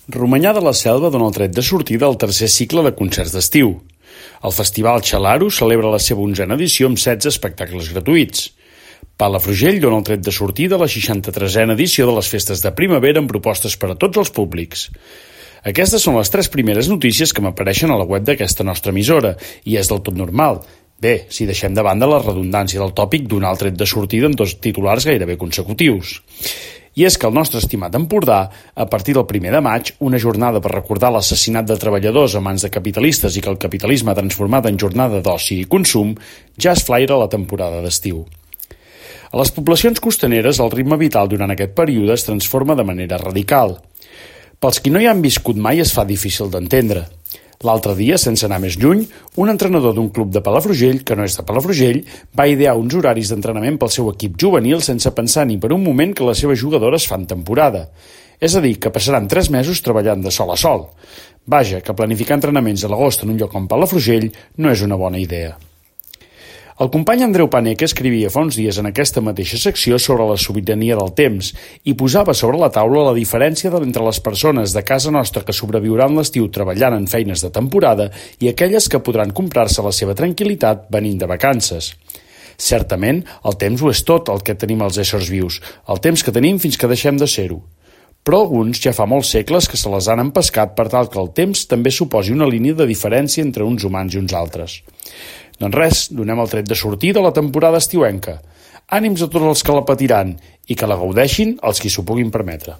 Romanyà de la Selva dona el tret de sortida al tercer cicle de concerts d'estiu. El Festival Xalaro celebra la seva 11a edició amb 16 espectacles gratuïts. Palafrugell dona el tret de sortida a la 63a edició de les festes de primavera amb propostes per a tots els públics. Aquestes són les 3 primeres notícies que m'apareixen a la web d'aquesta nostra emissora, i és del tot normal. Bé, si deixem de banda la redundància del tòpic donar el tret de sortida en 2 titulars gairebé consecutius. I és que el nostre estimat Empordà, a partir del 1 de maig, una jornada per recordar l'assassinat de treballadors a mans de capitalistes i que el capitalisme ha transformat en jornada d'oci i consum, ja es flaira la temporada d'estiu. A les poblacions costaneres, el ritme vital durant aquest període es transforma de manera radical. Pels qui no hi han viscut mai es fa difícil d'entendre. L'altre dia, sense anar més lluny, un entrenador d'un club de Palafrugell, que no és de Palafrugell, va idear uns horaris d'entrenament pel seu equip juvenil sense pensar ni per un moment que les seves jugadores fan temporada. És a dir, que passaran 3 mesos treballant de sol a sol. Vaja, que planificar entrenaments a l'agost en un lloc com Palafrugell no és una bona idea. El company Andreu Paneque escrivia fa uns dies en aquesta mateixa secció sobre la sobirania del temps i posava sobre la taula la diferència entre les persones de casa nostra que sobreviuran l'estiu treballant en feines de temporada i aquelles que podran comprar-se la seva tranquil·litat venint de vacances. Certament, el temps ho és tot el que tenim els éssers vius, el temps que tenim fins que deixem de ser-ho. Però alguns ja fa molts segles que se les han empescat per tal que el temps també suposi una línia de diferència entre uns humans i uns altres. Doncs res, donem el tret de sortida a la temporada estiuenca. Ànims a tots els que la patiran i que la gaudeixin els qui s'ho puguin permetre.